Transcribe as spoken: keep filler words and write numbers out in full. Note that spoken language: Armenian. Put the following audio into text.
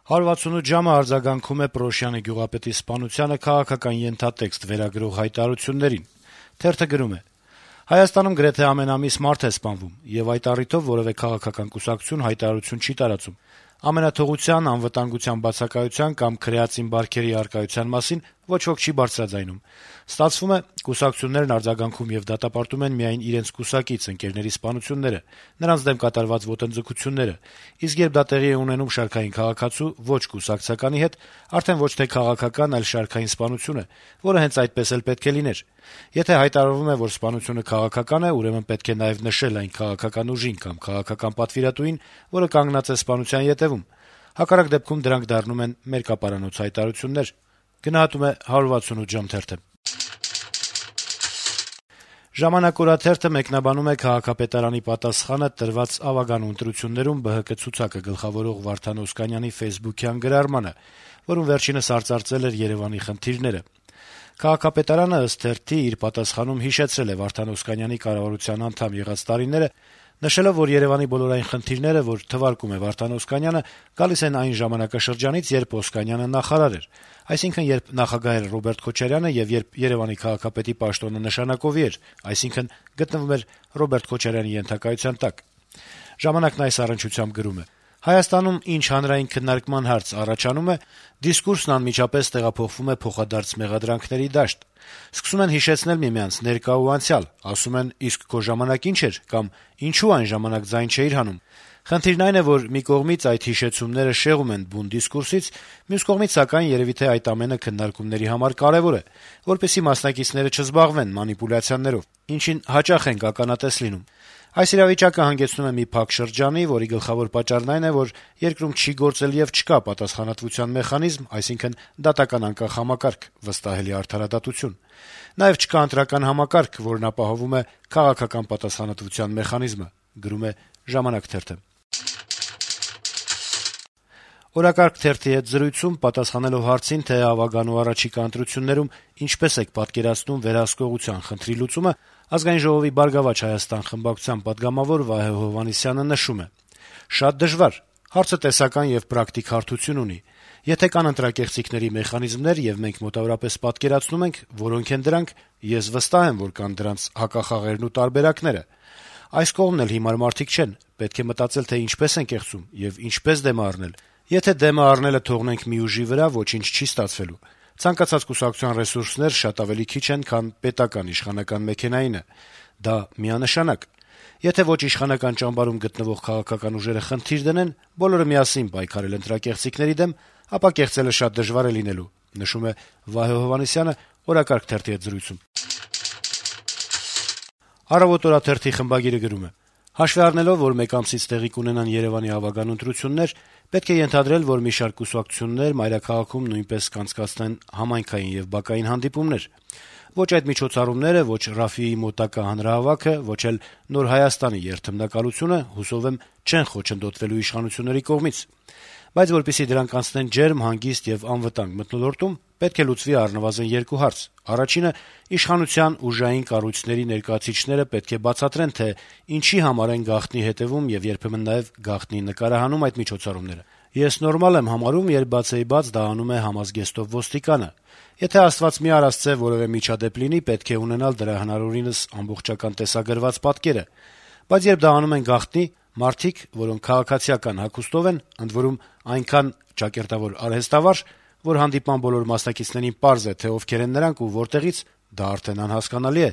«հարյուր վաթսունութ ժամը» արձագանքում է Պռոշյանի գյուղապետի սպանությանը քաղաքական ենթատեքստ վերագրող հայտարարություններին: Թերթը գրում է. - «Հայաստանում գրեթե ամեն ամիս մարդ է սպանվում, եւ այդ առիթով որեւէ քաղաքական կուսակցություն հայտարարություն չի տարածում: Ամենաթողության, անվտանգության բացակայության կամ քրեածին բարքերի առկայության մասին ոչ ոք չի բարձրաձայնում: Ստացվում է՝ կուսակցություններն արձագանքում եւ դատապարտում են միայն իրենց կուսակից ընկերների սպանությունները, նրանց դեմ կատարված ոտնձգությունները, իսկ երբ դա տեղի է ունենում շարքային քաղաքացու ոչ կուսակցականի հետ, արդեն ոչ թե քաղաքական, այլ շարքային սպանություն է, որը հենց այդպես էլ պետք է լիներ: Եթե հայտարարվում է, որ սպանությունը քաղաքական է, ուրեմն պետք է նաեւ նշել այն քաղաքական ուժին կամ քաղաքական պատվիրատուին, որը կանգնած է սպանության ետեւում: Հակառակ դեպքում դրանք դառնում են մերկապարանոց հայտարարություններ»: «Ժամանակ» օրաթերթը մեկնաբանում է քաղաքապետարանի պատասխանը տրված ավագանու ընտրություններում Բը Հ Կ ցուցակը գլխավորող Վարդան Օսկանյանի ֆեյսբուքյան գրառմանը, որում վերջինս արծարծել էր Երեւանի խնդիրները: Քաղաքապետարանը, ըստ թերթի, իր պատասխանում հիշեցրել է Վարդան Օսկանյանի կառավարության անդամ եղած տարիները, նշելով, որ Երեւանի բոլոր այն խնդիրները, որ թվարկում է Վարդան Օսկանյանը, գալիս են այն ժամանակաշրջանից, երբ Օսկանյանը նախարար էր, այսինքն՝ երբ նախագահ էր Ռոբերտ Քոչարյանը եւ երբ Երեւանի քաղաքապետի պաշտոնը նշանակովի էր, այսինքն՝ գտնվում էր Ռոբերտ Քոչարյանի ենթակայության տակ: «Ժամանակ»-ն այս առնչությամբ գրում է. - «Հայաստանում ինչ հանրային քննարկման հարց առաջանում է, դիսկուրսն անմիջապես տեղափոխվում է փոխադարձ մեղադրանքների դաշտ: Սկսում են հիշեցնել միմյանց ներկա ու անցյալ, ասում են՝ իսկ քո ժամանակ ի՞նչ էր, կամ ինչո՞ւ այն ժամանակ ձայն չէիր հանում: Խնդիրն այն է, որ մի կողմից այդ հիշեցումները շեղում են բուն դիսկուրսից, մյուս կողմից, սակայն, երեւի թե այդ ամենը քննարկումների համար կարեւոր է, որպեսզի մասնակիցները չզբաղվեն մանիպուլյացիաներով, ինչին հաճախ ենք ականատես լինում: Այս իրավիճակը հանգեցնում է մի փակ շրջանի, որի գլխավոր պատճառն այն է, որ երկրում չի գործել եւ չկա պատասխանատվության մեխանիզմ, այսինքն՝ դատական անկախ համակարգ, վստահելի արդարադատություն: Նաեւ չկա ընտրական համակարգ, որն ապահովում է քաղաքական պատասխանատվության մեխանիզմը»: «Օրակարգ» թերթի հետ զրույցում, պատասխանելով հարցին, թե ավագանու առաջիկա ընտրություններում ինչպես եք պատկերացնում վերահսկողության խնդրի լուծումը, Ազգային ժողովի «Բարգավաճ Հայաստան» խմբակցության պատգամավոր Վահե Հովհաննիսյանը նշում է. - «Շատ դժվար: Հարցը տեսական եւ պրակտիկ հարթություն ունի: Եթե կան ընտրակեղծիքների մեխանիզմներ, եւ մենք մոտավորապես պատկերացնում ենք՝ որոնք են դրանք, ես վստահ եմ, որ կան դրանց հակախաղերն ու տարբերակները: Այս կողմն էլ հիմար մարդիկ չեն, պետք է մտածել, թե ինչպես են կեղծում եւ ինչպես դեմը առնել: Եթե դեմը առնելը թողնենք մի ուժի վրա, ոչինչ չի ստացվելու: Ցանկացած կուսակցության ռեսուրսներ շատ ավելի քիչ են, քան պետական իշխանական մեքենայինը: Դա միանշանակ: Եթե ոչ իշխանական ճամբարում գտնվող քաղաքական ուժերը խնդիր դնեն բոլորը միասին պայքարել ընտրակեղծիքների դեմ, ապա կեղծելը շատ դժվար է լինելու»: «Առավոտ» օրաթերթի խմբագիրը գրում է. - «Հաշվի առնելով, որ մեկ ամսից տեղի կունենան Երեւանի ավագանու ընտրություններ, պետք է ենթադրել, որ մի շարք կուսակցություններ մայրաքաղաքում նույնպես կանցկացնեն համայնքային եւ բակային հանդիպումներ: Ոչ այդ միջոցառումները, ոչ Ռաֆիի մոտակա հանրահավաքը, ոչ էլ Նոր Հայաստանի երթմնակալությունը, հուսով եմ, չեն խոչընդոտվելու իշխանությունների կողմից: Բայց որպեսզի դրանք անցնեն ջերմ, հանգիստ եւ անվտանգ մթնոլորտում, պետք է լուծվի առնվազն երկու հարց: Առաջինը՝ իշխանության ուժային կառույցների ներկայացուցիչները պետք է բացատրեն, թե ինչի համար են գաղտնի հետեւում եւ երբեմն նաեւ գաղտնի նկարահանում այդ միջոցառումները: Ես նորմալ եմ համարում, երբ բացեիբաց դա անում է համազգեստով ոստիկանը: Եթե Աստված մի արասցե որեւէ միջադեպ լինի, պետք է ունենալ դրա հնարավորինս ամբողջական տեսագրված պատկերը: Բայց երբ դա անում են գաղտնի, մարդիկ, որոնք քաղաքացիական հագուստով են, ընդ որում այնքան ճակերտավոր արհեստավարժ, որ հանդիպման բոլոր մասնակիցներին պարզ է, թե ովքեր են նրանք ու որտեղից, դա արդեն անհասկանալի է»: